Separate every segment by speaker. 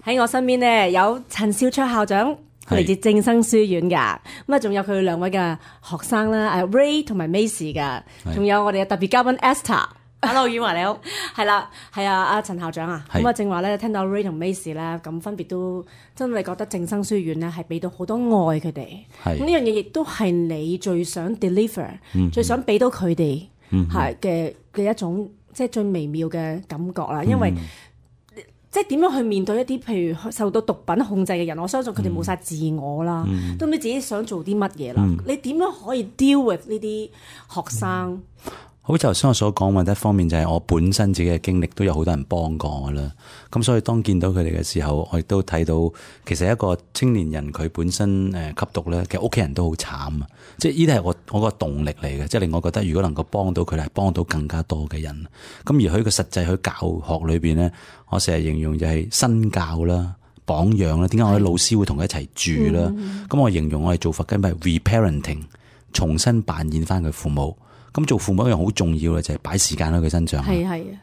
Speaker 1: 喺我身邊咧有陳少卓校長，嚟自正生書院噶，咁啊仲有佢兩位嘅學生啦，Ray 同埋 Macy 噶，仲有我哋嘅特別嘉賓 Esther。Hello， 婉華你好，係啦，係啊，阿陳校長啊，咁啊正話咧聽到 Ray 同 Macy 咧，咁分別都真係覺得正生書院咧係俾到好多愛佢哋，咁呢樣嘢亦都係你最想 deliver，最想俾到佢哋係嘅一種即係最微妙嘅感覺啦，因為即係點樣去面對一啲譬如受到毒品控制嘅人，我相信佢哋冇晒自我啦，都唔知自己想做啲乜嘢啦，你點樣可以 deal with 呢啲學生？
Speaker 2: 好似頭先我所講，或者一方面就係我本身自己嘅經歷都有好多人幫過我啦。咁所以當見到佢哋嘅時候，我亦都睇到其實一個青年人佢本身吸毒咧，其實屋企人都好慘啊！即係呢啲係我個動力嚟嘅，即係令我覺得如果能夠幫到佢哋，係幫到更加多嘅人。咁而喺個實際喺教學裏邊咧，我成日形容就係身教啦、榜樣啦。點解我啲老師會同佢一齊住啦？咁我形容我哋做法根本係 reparenting， 重新扮演翻佢父母。咁做父母一樣好重要嘅就係擺時間喺佢身上，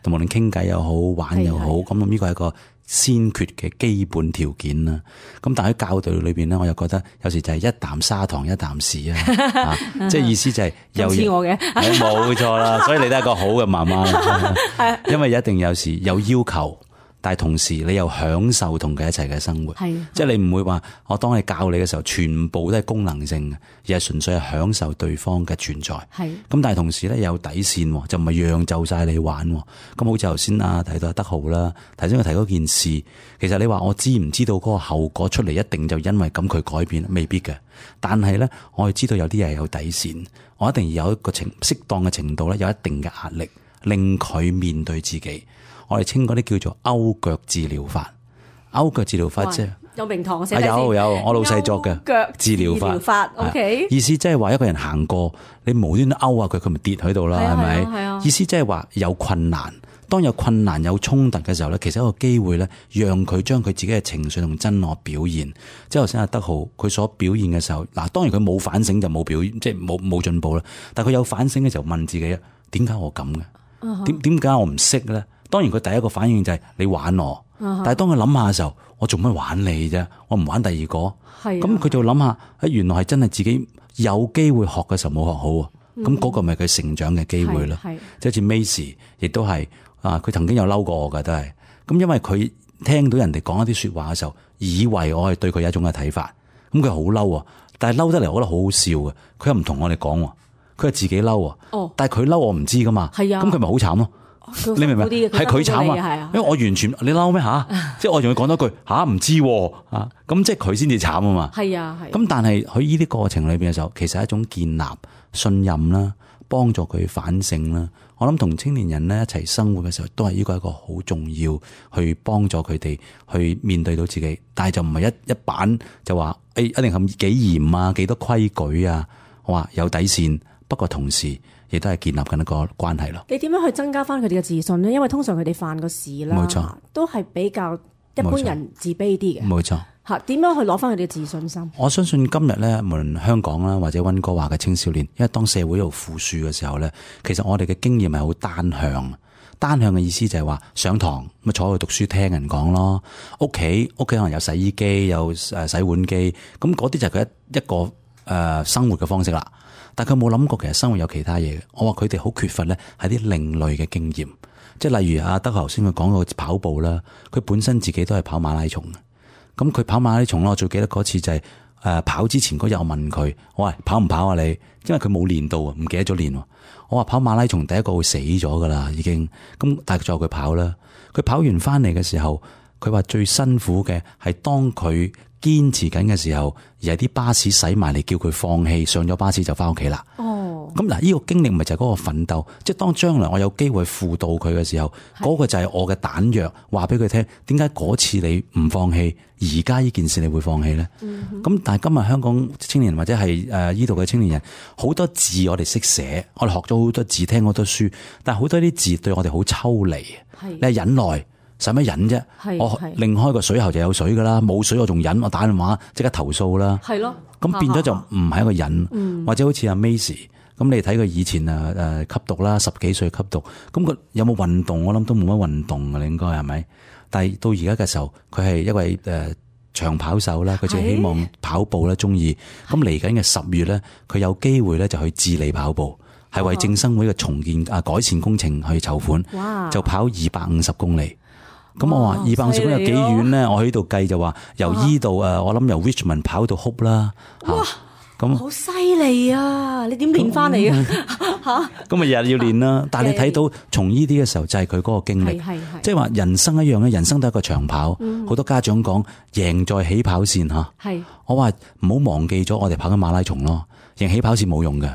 Speaker 2: 同無論傾偈又好玩又好，咁呢個係一個先決嘅基本條件啦。咁但係喺教導裏邊咧，我又覺得有時就係一啖砂糖一啖屎啊，即係意思就係有似我嘅，冇錯啦。所以你都係一個好嘅媽媽，因為一定有時有要求。但係同時你又享受同佢一齊嘅生活，即係你唔會話我當你教你嘅時候，全部都係功能性嘅，而係純粹係享受對方嘅存在。咁但係同時咧有底線，就唔係讓就晒你玩。咁好似頭先提到阿德豪啦，頭先佢提嗰件事，其實你話我知唔知道嗰個後果出嚟一定就因為咁佢改變，未必嘅。但係咧，我係知道有啲嘢係有底線，我一定要有一個適當嘅程度咧，有一定嘅壓力，令佢面對自己。我哋稱嗰啲叫做勾腳治療法，勾腳治療法即係
Speaker 1: 有名堂寫
Speaker 2: 有我老細作嘅
Speaker 1: 腳
Speaker 2: 治療法。
Speaker 1: OK，
Speaker 2: 意思即係話一個人行過，你無端端勾下佢，佢咪跌喺度啦，係咪？意思即係話有困難，當有困難有衝突嘅時候咧，其實一個機會咧，讓佢將佢自己嘅情緒同真我表現。即係頭先阿德豪佢所表現嘅時候，嗱，當然佢冇反省就冇表現，即係冇進步啦。但係佢有反省嘅時候，問自己啊，點解我咁嘅？點解我唔識咧？當然佢第一個反應就係你玩我，但係當佢諗下嘅時候，我做乜玩你啫？我唔玩第二個，咁佢就諗下，原來係真係自己有機會學嘅時候冇學好啊！咁嗰個咪佢成長嘅機會咯。即係好似 Macy 亦都係佢曾經有嬲過我㗎，都係咁，因為佢聽到人哋講一啲說話嘅時候，以為我係對佢有一種嘅睇法，咁佢好嬲啊！但係嬲得嚟，我覺得好好笑嘅，佢又唔同我哋講，佢係自己嬲啊！但係佢嬲我唔知噶嘛，咁佢咪好慘咯？你明唔明？係佢慘啊！因為我完全你嬲咩吓？即係我仲要講多句吓唔知咁，即係佢先至慘啊嘛。咁但係佢呢啲過程裏邊嘅時候，其實係一種建立信任啦，幫助佢反省啦。我諗同青年人咧一齊生活嘅時候，都係呢個一個好重要去幫助佢哋去面對到自己，但係就唔係一板就話一定係幾嚴啊，幾多規矩啊，我話有底線，不過同時亦都係建立緊一個關係咯。
Speaker 1: 你點樣去增加翻佢哋嘅自信呢？因為通常佢哋犯個事啦，冇錯，都係比較一般人自卑啲嘅。
Speaker 2: 冇錯，
Speaker 1: 吓點樣去攞翻佢哋嘅自信心？
Speaker 2: 我相信今日咧，無論香港啦或者溫哥華嘅青少年，因為當社會度富庶嘅時候咧，其實我哋嘅經驗係好單向。單向嘅意思就係話上堂咁坐喺度讀書聽人講咯，屋企可能有洗衣機有洗碗機，咁嗰啲就係佢一個生活嘅方式啦。但佢冇諗過其實生活有其他嘢嘅。我話佢哋好缺乏咧係啲另類嘅經驗，即係例如阿德豪頭先佢講過跑步啦，佢本身自己都係跑馬拉松嘅。咁佢跑馬拉松啦，我最記得嗰次就係跑之前嗰日我問佢，我話跑唔跑啊你？因為佢冇練到啊，唔記得咗練。我話跑馬拉松第一個會死咗噶啦已經，咁但係最後佢跑啦。佢跑完翻嚟嘅時候，佢話最辛苦嘅係當佢堅持緊嘅時候，而係啲巴士駛埋嚟叫佢放棄，上咗巴士就翻屋企啦。咁嗱，呢個經歷咪就係嗰個奮鬥，即係當將來我有機會輔導佢嘅時候，嗰個就係我嘅彈藥，話俾佢聽，點解嗰次你唔放棄，而家呢件事你會放棄咧？咁但係今日香港青年或者係呢度嘅青年人，好多字我哋識寫，我哋學咗好多字，聽好多書，但係好多啲字對我哋好抽離。你係忍耐，使乜忍啫？我擰開個水喉就有水噶啦，冇水我仲忍，我打電話即刻投訴啦。係咯，咁變咗就唔係一個忍，或者好似阿 Macy。咁你睇佢以前吸毒啦，10幾歲吸毒，咁佢有冇運動？我諗都冇乜運動嘅，你應該係咪？但係到而家嘅時候，佢係一位長跑手啦，佢就希望跑步啦，中意。咁嚟緊嘅10月咧，佢有機會咧就去智利跑步，係為正生會嘅重建改善工程去籌款，就跑250公里。咁我話250公里有幾遠咧？我喺度計就話由依度我諗由 Richmond 跑到 Hope 啦。
Speaker 1: 哇！咁好犀利啊！你點練翻嚟啊？嚇！
Speaker 2: 咁咪日日要練啦。但係你睇到從呢啲嘅時候，就係佢嗰個經歷，即係話人生一樣咧。人生都係一個長跑，好多家長講贏在起跑線嚇。我話唔好忘記咗，我哋跑緊馬拉松咯，贏起跑線冇用嘅。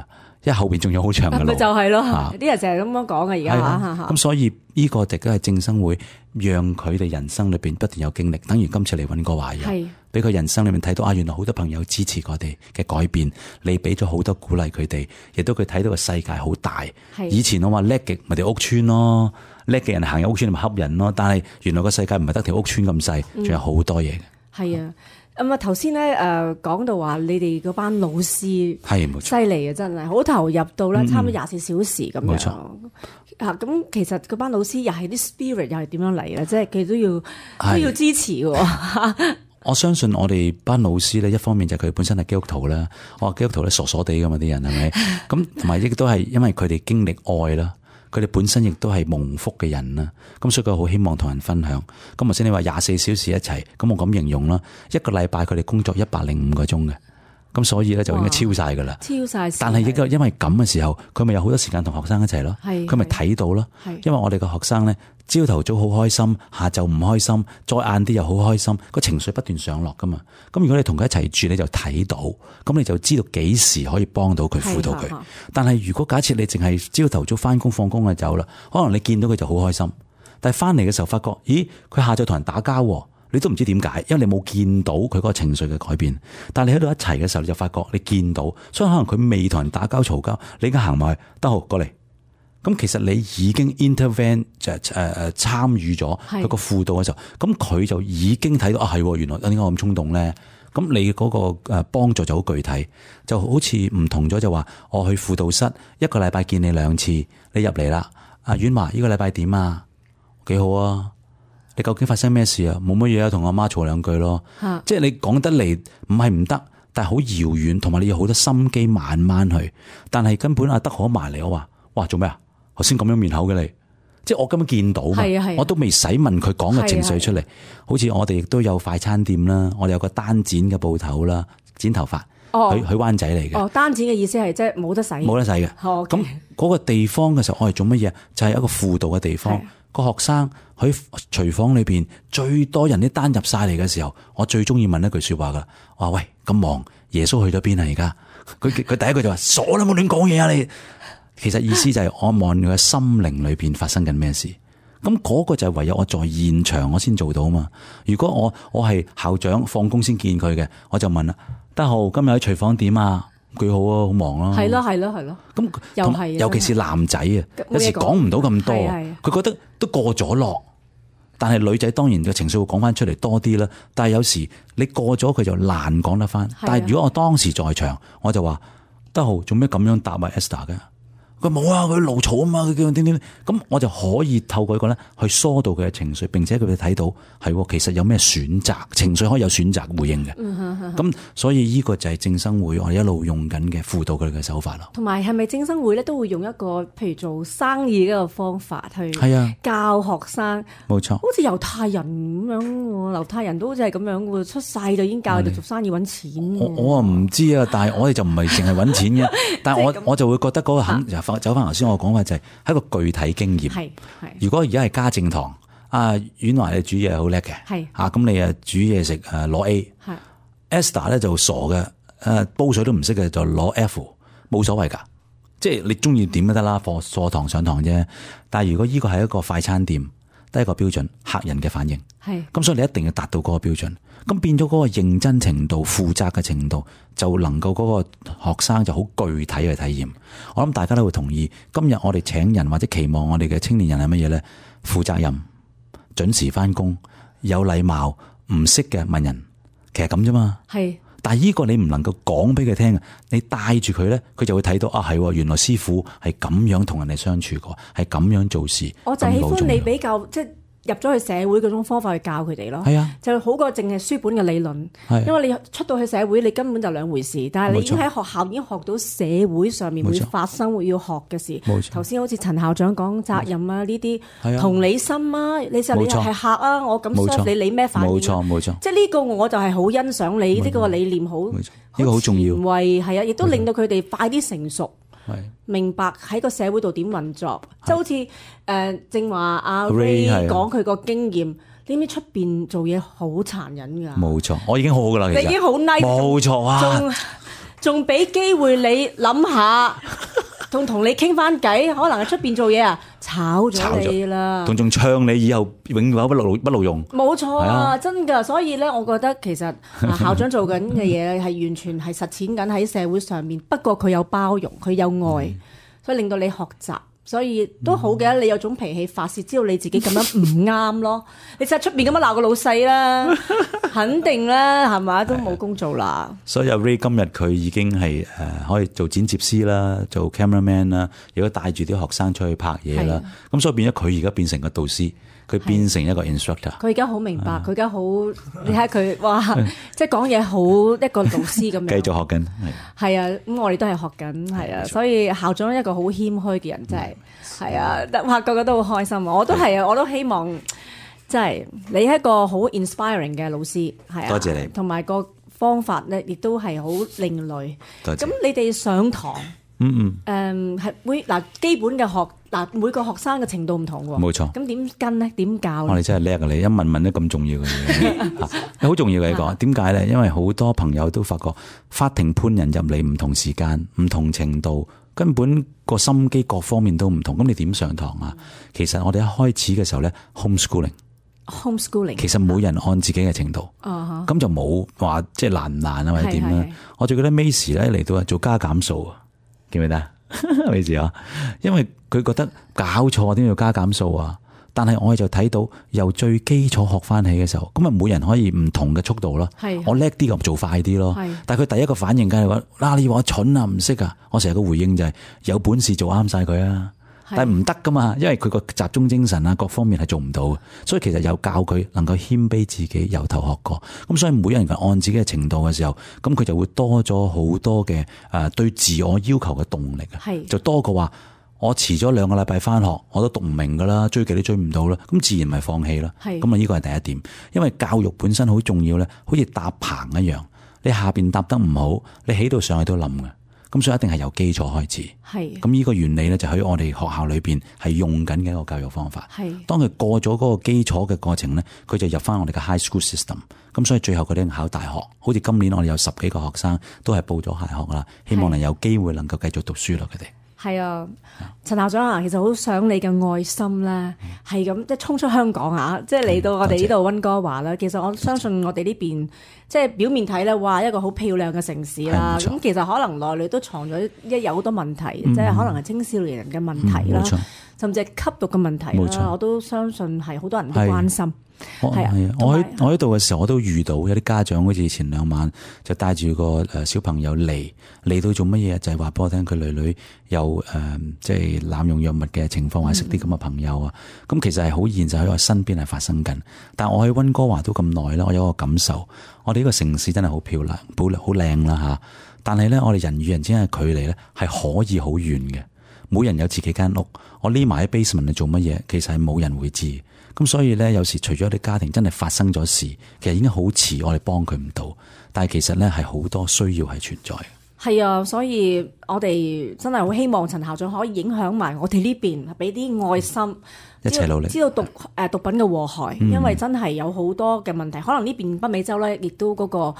Speaker 2: 因為後邊仲有好長嘅路，
Speaker 1: 咪就係咯，啲人成日咁樣講嘅而家。
Speaker 2: 咁所以呢個亦都係正生會，讓佢哋人生裏邊不斷有經歷。等於今次嚟揾個華人，俾佢人生裏面睇到原來好多朋友支持我哋嘅改變，你俾咗好多鼓勵佢哋，亦都佢睇到個世界好大。以前我話叻極咪條屋村咯，叻嘅人行入屋村咪恰人咯，但係原來個世界唔係得條屋村咁細，仲有好多嘢嘅。
Speaker 1: 係啊。咁頭先咧講到話你哋嗰班老師
Speaker 2: 係冇錯，
Speaker 1: 犀利啊，真係好投入到咧，差唔多24小時咁樣。
Speaker 2: 冇錯。
Speaker 1: 咁其實嗰班老師又係啲 spirit 又係點樣嚟咧？即係佢都要支持喎。
Speaker 2: 我相信我哋班老師咧，一方面就係佢本身係基督徒啦。我話基督徒咧傻傻地噶嘛，啲人係咪？咁同埋亦都係因為佢哋經歷愛啦。佢哋本身亦都係蒙福嘅人啦，咁所以佢好希望同人分享。咁頭先你話24小時一齊，咁我咁形容啦，一個禮拜佢哋工作105個鐘嘅，咁所以咧就應該超晒噶啦。超晒！但係因為咁嘅時候，佢咪有好多時間同學生一齊咯，佢咪睇到咯。因為我哋嘅學生咧，朝頭早好開心，下晝唔開心，再晏啲又好開心，個情緒不斷上落噶嘛。咁如果你同佢一齊住，你就睇到，咁你就知道幾時可以幫到佢輔導佢。但係如果假設你淨係朝頭早翻工放工就走啦，可能你見到佢就好開心，但係翻嚟嘅時候發覺，咦，佢下晝同人打交，你都唔知點解，因為你冇見到佢嗰個情緒嘅改變。但係你喺度一齊嘅時候，你就發覺你見到，所以可能佢未同人打交嘈交，你而家行埋去，得好過嚟。咁其實你已經 intervene 就參與咗佢個輔導嘅時候，咁佢就已經睇到係原來點解我咁衝動咧？咁你嗰個幫助就好具體，就好似唔同咗，就話我去輔導室一個禮拜見你2次，你入嚟啦，阿婉華呢個禮拜點啊？幾好啊！你究竟發生咩事啊？冇乜嘢啊，同我媽嘈2句咯。即係你講得嚟唔係唔得，但係好遙遠，同埋你要好多心機慢慢去。但係根本阿德可埋嚟，我話哇做咩啊？頭先咁樣面口嘅你，即係我根本見到嘛，我都未使問佢講嘅情緒出嚟。好似我哋亦都有快餐店啦，我哋有個單剪嘅鋪頭啦，剪頭髮，去灣仔嚟嘅。單剪嘅意思係即係冇得洗，冇得洗嘅。咁嗰個地方嘅時候，我係做乜嘢？就係一個輔導嘅地方。個學生喺廚房裏邊最多人啲單入晒嚟嘅時候，我最中意問一句說話噶，我話喂，咁忙，耶穌去咗邊啊？而家佢第一句就話傻啦，冇亂講嘢啊你。其實意思就係我望佢嘅心靈裏邊發生緊咩事，咁嗰個就係唯有我在現場我先做到嘛。如果我係校長放工先見佢嘅，我就問啦，德豪今日喺廚房點啊？幾好啊，好忙啊。係咯。咁又係，尤其是男仔啊，有時講唔到咁多，佢覺得都過咗落。但係女仔當然嘅情緒會講翻出嚟多啲啦。但係有時你過咗佢就難講得翻。但係如果我當時在場，我就話德豪做咩咁樣答埋 Esther 嘅？佢冇啊，佢怒嘈啊嘛，佢叫點，咁我就可以透過一個咧去疏導佢嘅情緒，並且佢哋睇到係其實有咩選擇，情緒可以有選擇回應嘅。咁所以呢個就係正生會我哋一路用緊嘅輔導佢哋嘅手法咯。同埋係咪正生會咧都會用一個譬如做生意嘅一個方法去教學生？冇錯，好似猶太人咁樣喎，猶太人都好似係咁樣喎，出世就已經教佢哋做生意揾錢。我唔知啊，但係我哋就唔係淨係揾錢嘅，但係我就會覺得嗰個走翻頭先我講嘅就係一個具體經驗。如果而家係家政堂，婉華你煮嘢好叻嘅，咁你煮嘢食攞 A，Esther 咧就傻嘅，煲水都唔識嘅就攞 F， 冇所謂噶，即係你中意點都得啦，課堂上堂啫。但係如果呢個係一個快餐店，得一個標準，客人嘅反應，咁所以你一定要達到嗰個標準。咁變咗嗰個認真程度、負責嘅程度，就能夠嗰個學生就好具體嘅體驗。我諗大家都會同意，今日我哋請人或者期望我哋嘅青年人係乜嘢咧？負責任、準時翻工、有禮貌、唔識嘅問人，其實咁啫嘛。但係呢個你唔能夠講俾佢聽，你帶住佢咧，佢就會睇到係原來師傅係咁樣同人哋相處過，係咁樣做事。我就喜歡你比較即係
Speaker 1: 入咗去社會嗰種方法去教佢哋咯。
Speaker 2: 係啊，
Speaker 1: 就好過淨係書本嘅理論。因為你出到去社會，你根本就兩回事。但係你已經喺學校已經學到社會上面會發生會要學嘅事。頭先好似陳校長講責任啊呢啲，同理心啊，你係客啊，我咁 serve 你咩反應？
Speaker 2: 冇錯，
Speaker 1: 即係呢個我就係好欣賞你呢個理念，好呢
Speaker 2: 個好重要。
Speaker 1: 係啊，亦都令到佢哋快啲成熟。明白喺個社會度點運作，即係好似正話阿 Ray 講佢個經驗，你知出邊做嘢好殘忍㗎。冇
Speaker 2: 錯，我已經好好㗎啦，其實
Speaker 1: 你已經好 nice，
Speaker 2: 冇錯啊，
Speaker 1: 仲俾機會你諗下，同你傾翻偈，可能喺出邊做嘢啊，炒咗你啦，
Speaker 2: 仲唱你以後永遠不勞用。冇
Speaker 1: 錯啊，真㗎。所以咧，我覺得其實校長做緊嘅嘢係完全係實踐緊喺社會上面。不過佢有包容，佢有愛，所以令到你學習。所以都好嘅，你有種脾氣發泄，知道你自己咁樣唔啱咯。你實喺出邊咁樣鬧個老細啦，肯定啦，係咪都冇工做啦。
Speaker 2: 所以阿 Ray 今日佢已經係可以做剪接師啦，做 cameraman 啦，亦都帶住啲學生出去拍嘢啦。咁所以變咗佢而家變成個導師。佢變成一個 instructor，
Speaker 1: 佢而家好明白，佢而家好，你睇佢，哇，即係講嘢好一個導師咁樣。
Speaker 2: 繼續學緊，
Speaker 1: 係啊，咁我哋都係學緊，係啊，所以校長一個好謙虛嘅人，真係，係啊，哇，個個都好開心啊！我都係啊，我都希望，即係你係一個好 inspiring 嘅老師，係啊，
Speaker 2: 多謝你，
Speaker 1: 同埋個方法咧，亦都係好另類。
Speaker 2: 多謝。
Speaker 1: 咁你哋上堂，係會嗱基本嘅學。嗱，每個學生嘅程度唔同喎，
Speaker 2: 冇錯。
Speaker 1: 咁點跟咧？點教咧？
Speaker 2: 我哋真係叻啊！你一問得咁重要嘅嘢，好重要嘅你講。點解咧？因為好多朋友都發覺法庭判人入嚟唔同時間、唔同程度，根本個心機各方面都唔同。咁你點上堂啊？其實我哋一開始嘅時候咧，homeschooling，其實每人按自己嘅程度，咁就冇話即係難唔難啊，或者點咧？我最記得 Macy 咧嚟到做加減數啊，記唔記得？Macy 啊，因為佢覺得搞錯點要加減數啊？但係我哋就睇到由最基礎學翻起嘅時候，咁啊每人可以唔同嘅速度咯。我叻啲咁做快啲咯。但係佢第一個反應梗係話：你話我蠢啊，唔識啊！我成日個回應就係：有本事做啱晒佢啊！但係唔得噶嘛，因為佢個集中精神啊，各方面係做唔到嘅。所以其實有教佢能夠謙卑自己，由頭學過。咁所以每人按自己嘅程度嘅時候，咁佢就會多咗好多嘅對自我要求嘅動力啊。就多過話我遲咗2個禮拜翻學，我都讀唔明噶啦，追極都追唔到啦，咁自然咪放棄啦。咁啊呢個係第一點，因為教育本身好重要咧，好似搭棚一樣，你下邊搭得唔好，你起到上去都冧嘅。咁所以一定係由基礎開始。咁呢個原理咧就喺我哋學校裏邊係用緊嘅一個教育方法。當佢過咗嗰個基礎嘅過程咧，佢就入翻我哋嘅 high school system。咁所以最後佢哋考大學，好似今年我哋有10幾個學生都係報咗大學啦，希望能有機會能夠繼續讀書啦，佢哋。
Speaker 1: 係啊，陳校長啊，其實好想你嘅愛心咧，係咁即係衝出香港啊，即係嚟到我哋呢度溫哥華啦。其實我相信我哋呢邊即係表面睇咧，哇一個好漂亮嘅城市啦。咁其實可能內裏都藏咗有好多問題，即係可能係青少年人嘅問題啦，甚至係吸毒嘅問題啦。我都相信係好多人都關心。
Speaker 2: 我喺度嘅時候，我都遇到有啲家長，好似前2晚就帶住個小朋友嚟到做乜嘢？就係話俾我聽，佢女有即係濫用藥物嘅情況，或者識啲咁嘅朋友啊。咁其實係好現實喺我身邊係發生緊。但我喺溫哥華都咁耐啦，我有個感受，我哋呢個城市真係好漂亮，好靚啦吓。但係咧，我哋人與人之間嘅距離咧係可以好遠嘅。每人有自己間屋，我匿埋喺 basement 嚟做乜嘢？其實係冇人會知。咁所以咧，有時除咗啲家庭真係發生咗事，其實已經好遲，我哋幫佢唔到。但係其實咧係好多需要係存在嘅。
Speaker 1: 係啊，所以我哋真係好希望陳校長可以影響埋我哋呢邊，俾啲愛心，
Speaker 2: 一齊努力，
Speaker 1: 知道毒品嘅禍害，因為真係有好多嘅問題。可能呢邊北美洲咧，亦都嗰個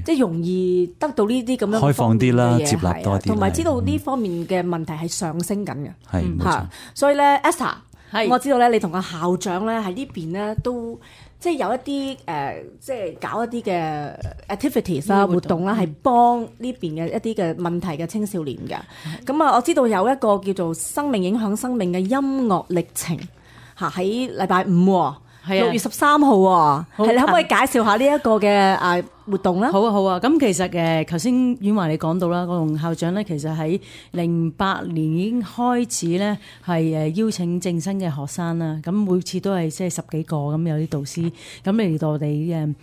Speaker 1: 即係容易得到呢啲咁樣
Speaker 2: 開放啲啦，接納多啲，
Speaker 1: 同埋知道呢方面嘅問題係上升緊嘅。
Speaker 2: 係冇錯。
Speaker 1: 所以咧 Esther。我知道咧，你同個校長咧喺呢邊咧都即係有一啲即係搞一啲嘅 activities 啦活動啦，係幫呢邊嘅一啲嘅問題嘅青少年嘅。咁啊，我知道有一個叫做生命影響生命嘅音樂歷程嚇，喺禮拜5
Speaker 3: 係啊
Speaker 1: 6月13號喎，
Speaker 3: 好
Speaker 1: 係你可唔可以介紹下呢一個嘅活動咧？
Speaker 3: 好啊好啊，咁其實頭先婉華你講到啦，個龍校長咧其實喺08年已經開始咧係邀請正生嘅學生啦，咁每次都係即係10幾個咁有啲導師咁嚟到我哋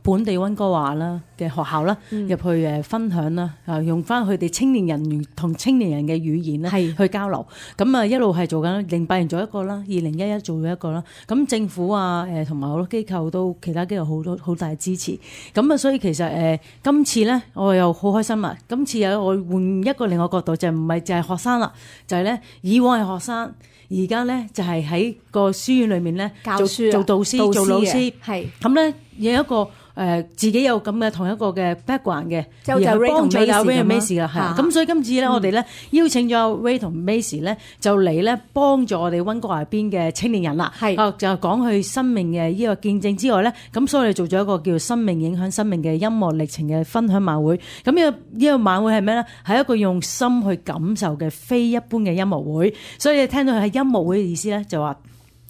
Speaker 3: 本地溫哥華啦嘅學校啦，入去分享啦，用翻佢哋青年人同青年人嘅語言咧去交流。咁一路係做緊08年做一個啦，2011做咗一個啦。咁政府同埋好多機構都其他機構好大支持。咁所以其實今次咧我又好開心啊！今次我換一個另外角度，就唔係就係學生啦，就係咧以往係學生，而家咧就係喺個書院裏面咧
Speaker 1: 教書
Speaker 3: 做導師做老師，
Speaker 1: 係
Speaker 3: 咁咧有一個。自己有咁嘅同一個嘅 background 嘅，
Speaker 1: 即係好似 Ray 同
Speaker 3: Macy 啦，係啊。咁所以今次咧，我哋咧邀請咗 Ray 同 Macy 咧，就嚟咧幫助我哋溫哥華邊嘅青年人啦。係就講佢生命嘅呢個見證之外咧，咁所以我哋做咗一個叫生命影響生命嘅音樂歷程嘅分享晚會。咁呢個晚會係咩咧？係一個用心去感受嘅非一般嘅音樂會。所以你聽到係音樂會嘅意思咧，就話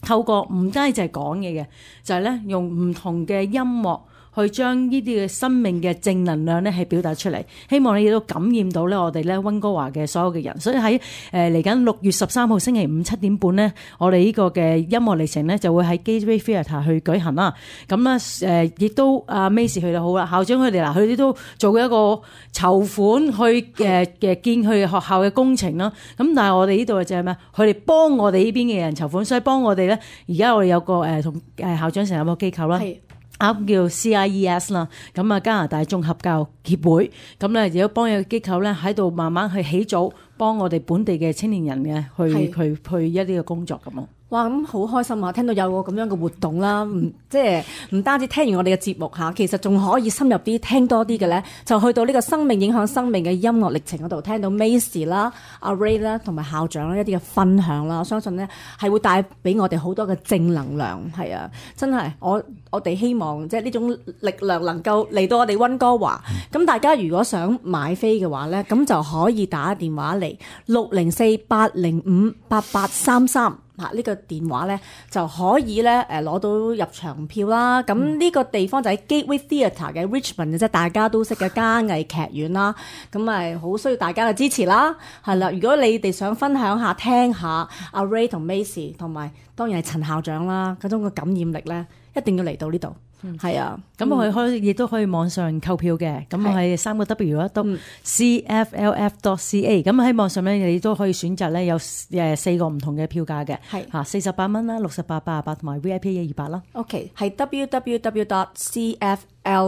Speaker 3: 透過唔單止係講嘢嘅，就係咧用唔同嘅音樂。去將呢啲嘅生命嘅正能量咧係表達出嚟，希望你亦都感染到咧我哋咧溫哥華嘅所有嘅人。所以喺嚟緊6月13號星期五7點半咧，我哋呢個嘅音樂歷程咧就會喺 Gateway Theatre 去舉行啦。咁咧亦都阿 Macy 去到好啦，校長佢哋佢哋都做一個籌款去建佢學校嘅工程啦。咁但係我哋呢度就係咩？佢哋幫我哋呢邊嘅人籌款，所以幫我哋咧。而家我哋有個同校長成立個機構啦。叫 CIES 啦，咁加拿大綜合教育協會，咁咧亦都幫有個機構咧喺度慢慢去起組，幫我哋本地嘅青年人嘅去一啲嘅工作咁咯。
Speaker 1: 哇！咁好開心啊！聽到有個咁樣嘅活動啦，即係唔單止聽完我哋嘅節目嚇，其實仲可以深入啲聽多啲嘅咧，就去到呢個生命影響生命嘅音樂歷程嗰度，聽到 Macy 啦、阿 Ray 啦同埋校長啦一啲嘅分享啦，我相信咧係會帶俾我哋好多嘅正能量，係啊！真係我哋希望即係呢種力量能夠嚟到我哋溫哥華。咁大家如果想買飛嘅話咧，咁就可以打電話嚟604-805-8833。呢個電話咧就可以咧攞到入場票啦。咁呢個地方就喺 Gateway Theatre 嘅 Richmond 即係大家都識嘅嘉藝劇院啦。咁咪好需要大家嘅支持啦。係啦，如果你哋想分享下聽下阿 Ray 同 Macy 同埋當然係陳校長啦嗰種嘅感染力咧，一定要嚟到呢度。係啊，
Speaker 3: 咁我亦都可以網上購票嘅，咁我係3W 啦，都 CFLF.ca， 咁喺網上咧你都可以選擇咧有4個唔同嘅票價嘅，係48蚊啦、68、88同埋 VIP 128啦。OK，
Speaker 1: 係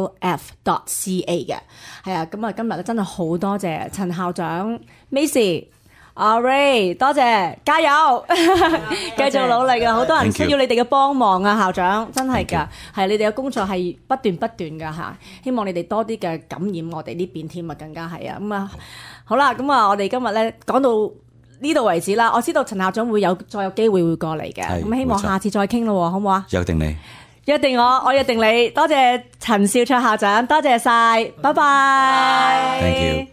Speaker 1: www.cflf.ca 嘅，係啊，咁啊今日咧真係好多謝陳校長 Macy。阿 Ray， 多謝，加油，繼續努力啊！好多人需要你哋嘅幫忙啊，校長，真係㗎，係你哋嘅工作係不斷㗎嚇，希望你哋多啲嘅感染我哋呢邊添啊，更加係啊，咁啊，好啦，咁啊，我哋今日咧講到呢度為止啦，我知道陳校長再有機會會過嚟嘅，咁希望下次再傾咯，好唔好啊？
Speaker 2: 約定你，
Speaker 1: 約定我約定你，多謝陳少卓校長，多謝晒，拜拜。
Speaker 2: Thank you。